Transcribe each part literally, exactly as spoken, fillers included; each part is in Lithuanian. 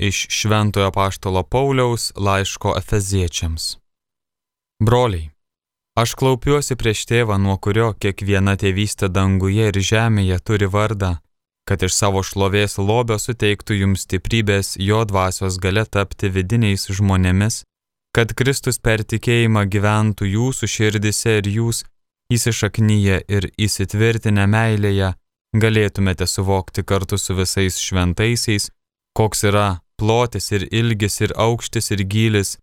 iš Šventojo apaštalo Pauliaus laiško Efeziečiams. Broliai, aš klaupiuosi prieš tėvą, nuo kurio kiekviena tėvystė danguje ir žemėje turi vardą, kad iš savo šlovės lobio suteiktų jums stiprybės jo dvasios galia tapti vidiniais žmonėmis, kad Kristus per tikėjimą gyventų jūsų širdise ir jūs, įsišaknyje ir įsitvirtinę meilėje, galėtumėte suvokti kartu su visais šventaisiais, koks yra plotis ir ilgis ir aukštis ir gylis,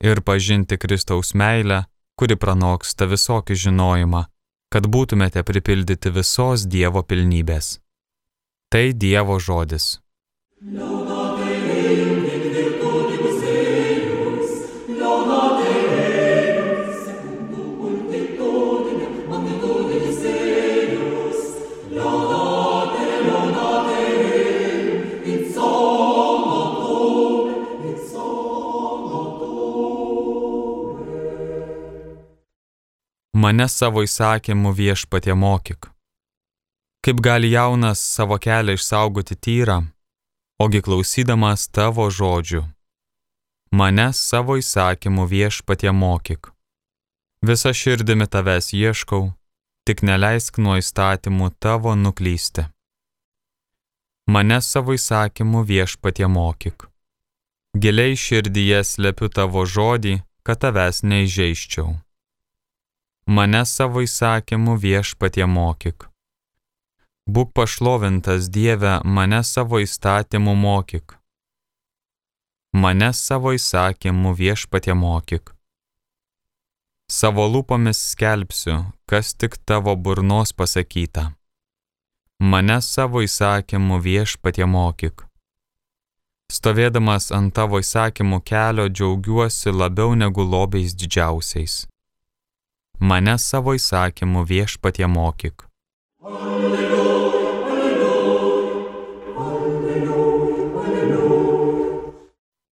ir pažinti Kristaus meilę, kuri pranoksta visokį žinojimą, kad būtumėte pripildyti visos Dievo pilnybės. Tai Dievo žodis. Mane savo įsakymu viešpatie mokyk. Kaip gali jaunas savo kelią išsaugoti tyrą, ogi klausydamas tavo žodžių. Mane savo įsakymu viešpatie mokyk. Visa širdimi tavęs ieškau, tik neleisk nuo įstatymų tavo nuklysti. Mane savo įsakymu viešpatie mokyk. Giliai širdyje slepiu tavo žodį, kad tavęs neįžeisčiau. Mane savo įsakymu viešpatie mokyk. Būk pašlovintas Dieve, mane savo įstatymu mokyk. Mane savo įsakymu viešpatie mokyk. Savo lūpomis skelbsiu, kas tik tavo burnos pasakyta. Mane savo įsakymu viešpatie mokyk. Stovėdamas ant tavo įsakymų kelio džiaugiuosi labiau negu lobiais didžiausiais. Mane savo įsakymu viešpatie mokyk. Alleluja, alleluja, alleluja, alleluja.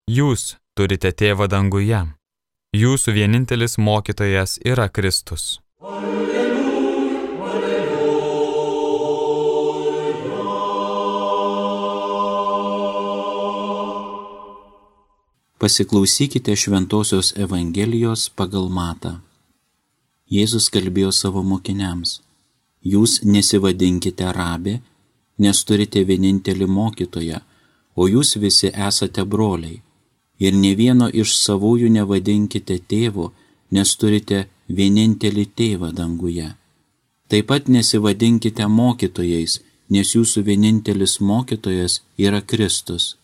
Jūs turite tėvą danguje. Jūsų vienintelis mokytojas yra Kristus. Alleluja, alleluja. Pasiklausykite Šventosios Evangelijos pagal Matą. Jėzus kalbėjo savo mokiniams: jūs nesivadinkite rabė, nes turite vienintelį mokytoją, o jūs visi esate broliai. Ir ne vieno iš savųjų nevadinkite tėvu, nes turite vienintelį tėvą danguje. Taip pat nesivadinkite mokytojais, nes jūsų vienintelis mokytojas yra Kristus.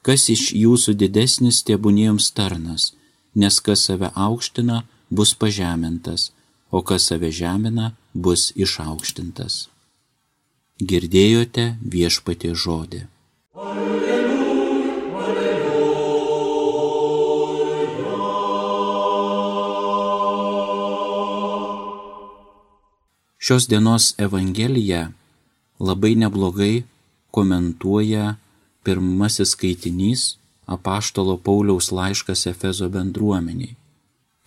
Kas iš jūsų didesnis, tebūnie jums tarnas, nes kas save aukština, bus pažemintas, o kas save žemina, bus išaukštintas. Girdėjote viešpaties žodį. Alleluja, alleluja. Šios dienos Evangeliją labai neblogai komentuoja pirmasis skaitinys apaštalo Pauliaus laiškas Efezo bendruomeniai.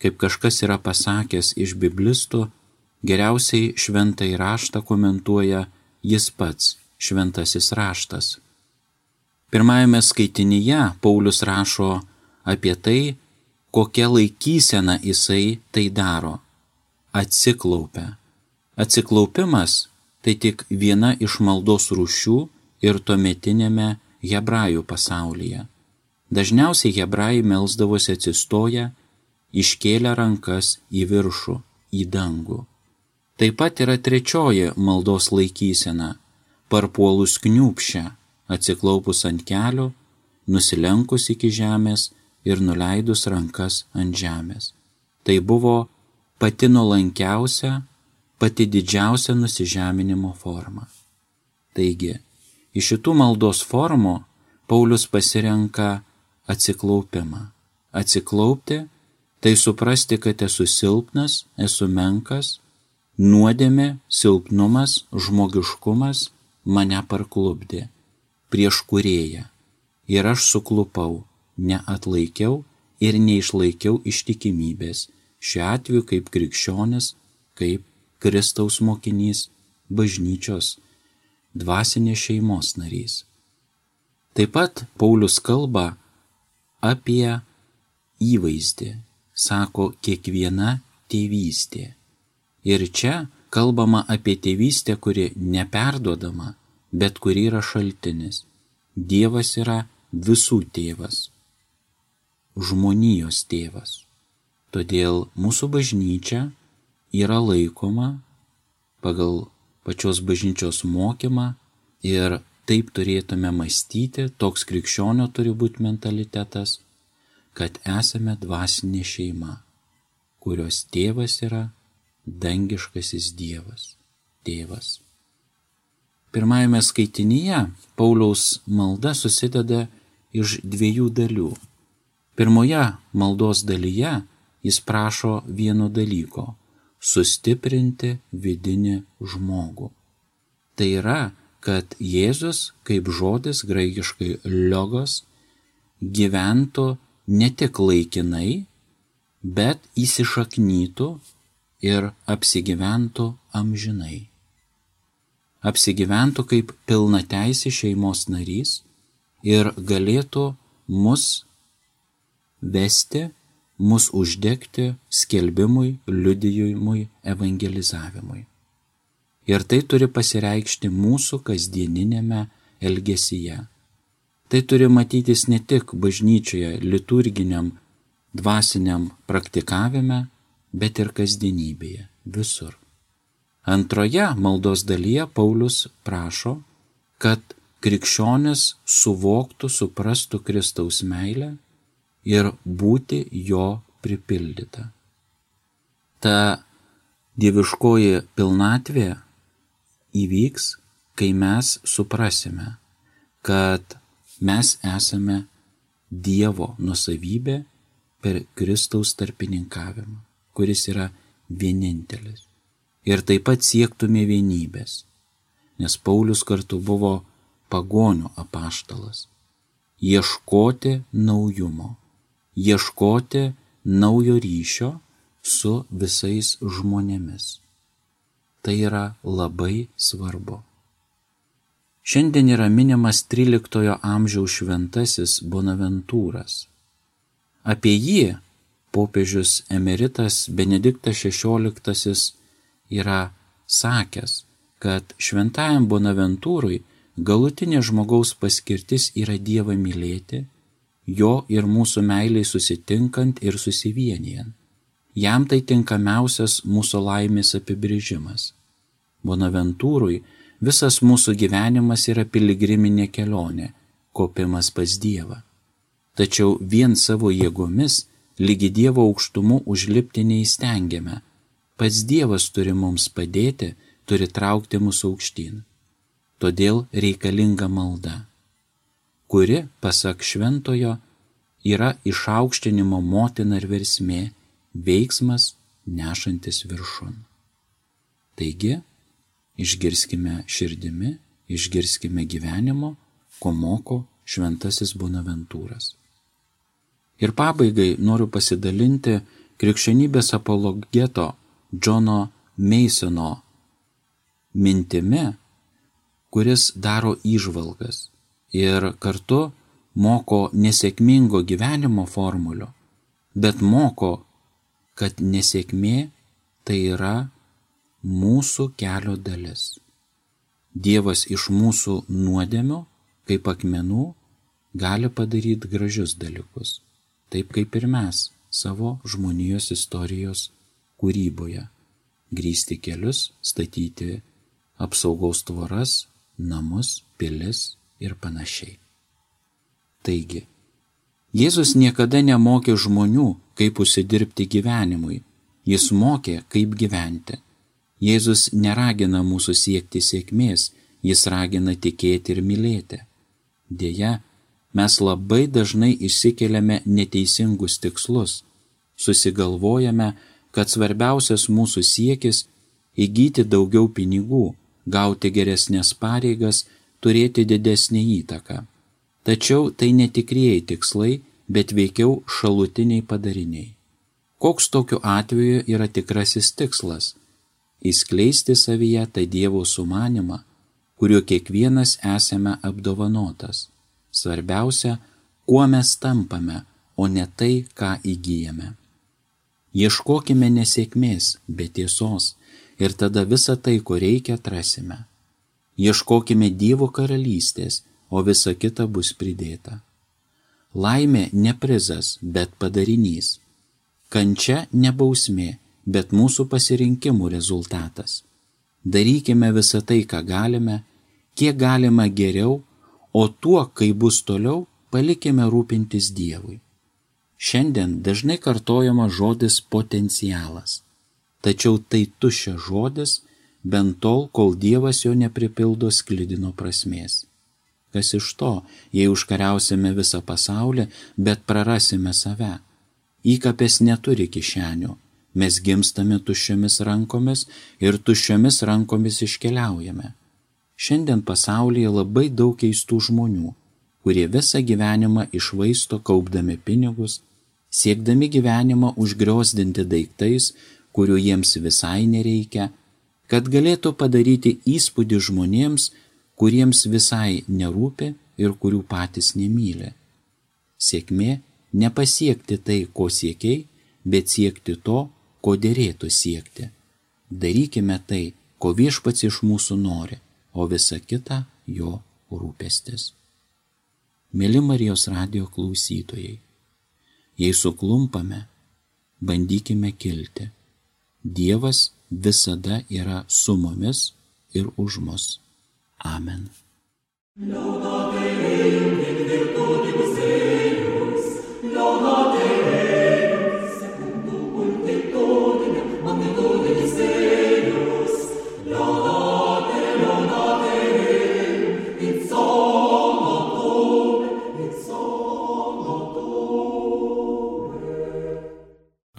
Kaip kažkas yra pasakęs iš biblistų, geriausiai šventąjį raštą komentuoja jis pats, šventasis raštas. Pirmajame skaitinyje Paulius rašo apie tai, kokia laikysena jisai tai daro. Atsiklaupia. Atsiklaupimas tai tik viena iš maldos rūšių ir tuometinėme hebrajų pasaulyje. Dažniausiai hebrajai melsdavosi atsistoję, iškėlę rankas į viršų, į dangų. Taip pat yra trečioji maldos laikysena – parpuolus kniūpšę, atsiklaupus ant kelio, nusilenkus iki žemės ir nuleidus rankas ant žemės. Tai buvo pati nuolankiausia, pati didžiausia nusižeminimo forma. Taigi, iš šitų maldos formų Paulius pasirenka atsiklaupimą. Atsiklaupti – tai suprasti, kad esu silpnas, esu menkas, nuodėmė, silpnumas, žmogiškumas mane parklupdė prieš kūrėją. Ir aš suklupau, neatlaikiau ir neišlaikiau ištikimybės, šiuo atveju kaip krikščionis, kaip Kristaus mokinys, bažnyčios, dvasinės šeimos narys. Taip pat Paulius kalba apie įvaizdį, sako kiekviena tėvystė. Ir čia kalbama apie tėvystę, kuri neperduodama, bet kuri yra šaltinis. Dievas yra visų tėvas, žmonijos tėvas. Todėl mūsų bažnyčia yra laikoma pagal pačios bažnyčios mokymą ir taip turėtume mąstyti, toks krikščionio turi būti mentalitetas, kad esame dvasinė šeima, kurios tėvas yra dangiškasis Dievas, tėvas. Pirmajame skaitinyje Pauliaus malda susideda iš dviejų dalių. Pirmoje maldos dalyje jis prašo vieno dalyko – sustiprinti vidinį žmogų. Tai yra, kad Jėzus kaip žodis graikiškai logos gyventų ne tik laikinai, bet įsišaknytų ir apsigyventų amžinai. Apsigyventų kaip pilnateisė šeimos narys ir galėtų mus vesti, mus uždegti skelbimui, liudijimui, evangelizavimui. Ir tai turi pasireikšti mūsų kasdieninėme elgesyje. Tai turi matytis ne tik bažnyčioje, liturginiam, dvasiniam praktikavime, bet ir kasdienybėje, visur. Antroje maldos dalyje Paulius prašo, kad krikščionis suvoktų, suprastų Kristaus meilę ir būti jo pripildyta. Ta dieviškoji pilnatvė įvyks, kai mes suprasime, kad mes esame Dievo nuosavybė per Kristaus tarpininkavimą, kuris yra vienintelis. Ir taip pat siektume vienybės, nes Paulius kartu buvo pagonių apaštalas. Ieškoti naujumo, ieškoti naujo ryšio su visais žmonėmis. Tai yra labai svarbu. Šiandien yra minimas tryliktojo amžiaus šventasis Bonaventūras. Apie jį popiežius emeritas Benediktas šešioliktasis yra sakęs, kad šventajam Bonaventūrui galutinė žmogaus paskirtis yra Dievą mylėti, jo ir mūsų meiliai susitinkant ir susivienijant. Jam tai tinkamiausias mūsų laimės apibrėžimas. Bonaventūrui visas mūsų gyvenimas yra piligriminė kelionė, kopimas pas Dievą. Tačiau vien savo jėgomis lygi Dievo aukštumų užlipti neįstengiame. Pats Dievas turi mums padėti, turi traukti mūsų aukštyn. Todėl reikalinga malda, kuri, pasak šventojo, yra išaukštinimo motina ir versmė, veiksmas nešantis viršun. Taigi, išgirskime širdimi, išgirskime gyvenimo, ko moko šventasis Bonaventūras. Ir pabaigai noriu pasidalinti krikščionybės apologeto Džono Meisono mintimi, kuris daro įžvalgas ir kartu moko nesėkmingo gyvenimo formulių, bet moko, kad nesėkmė tai yra mūsų kelio dalis. Dievas iš mūsų nuodėmių, kaip akmenų, gali padaryti gražius dalykus, taip kaip ir mes savo žmonijos istorijos kūryboje, grįsti kelius, statyti apsaugos tvoras, namus, pilis ir panašiai. Taigi, Jėzus niekada nemokė žmonių, kaip užsidirbti gyvenimui, jis mokė, kaip gyventi. Jėzus neragina mūsų siekti sėkmės, jis ragina tikėti ir mylėti. Deja, mes labai dažnai išsikeliame neteisingus tikslus, susigalvojame, kad svarbiausias mūsų siekis įgyti daugiau pinigų, gauti geresnės pareigas, turėti didesnį įtaką. Tačiau tai netikrieji tikslai, bet veikiau šalutiniai padariniai. Koks tokiu atveju yra tikrasis tikslas? Įskleisti savyje tą Dievo sumanimą, kuriuo kiekvienas esame apdovanotas. Svarbiausia, kuo mes tampame, o ne tai, ką įgyjame. Ieškokime nesėkmės, bet tiesos, ir tada visą tai, ko reikia, atrasime. Ieškokime Dievo karalystės, o visa kita bus pridėta. Laimė ne prizas, bet padarinys. Kančia ne bausmė, bet mūsų pasirinkimų rezultatas. Darykime visą tai, ką galime, kiek galima geriau, o tuo, kai bus toliau, palikime rūpintis Dievui. Šiandien dažnai kartojama žodis potencialas, tačiau tai tuščias žodis, bent tol, kol Dievas jo nepripildo sklidino prasmės. Kas iš to, jei užkariausime visą pasaulį, bet prarasime save? Įkapės neturi kišenių, mes gimstame tuščiomis rankomis ir tuščiomis rankomis iškeliaujame. Šiandien pasaulyje labai daug keistų žmonių, kurie visą gyvenimą išvaisto kaupdami pinigus, siekdami gyvenimą užgriozdinti daiktais, kurių jiems visai nereikia, kad galėtų padaryti įspūdį žmonėms, kuriems visai nerūpi ir kurių patys nemyli. Sėkmė nepasiekti tai, ko siekiai, bet siekti to, ko derėtų siekti. Darykime tai, ko Viešpats iš mūsų nori, o visa kita jo rūpestis. Mėly Marijos radijo klausytojai, jei suklumpame, bandykime kilti. Dievas visada yra su mumis ir už mus. Amen.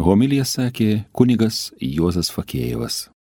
Homiliją sakė kunigas Juozas Fakėjevas.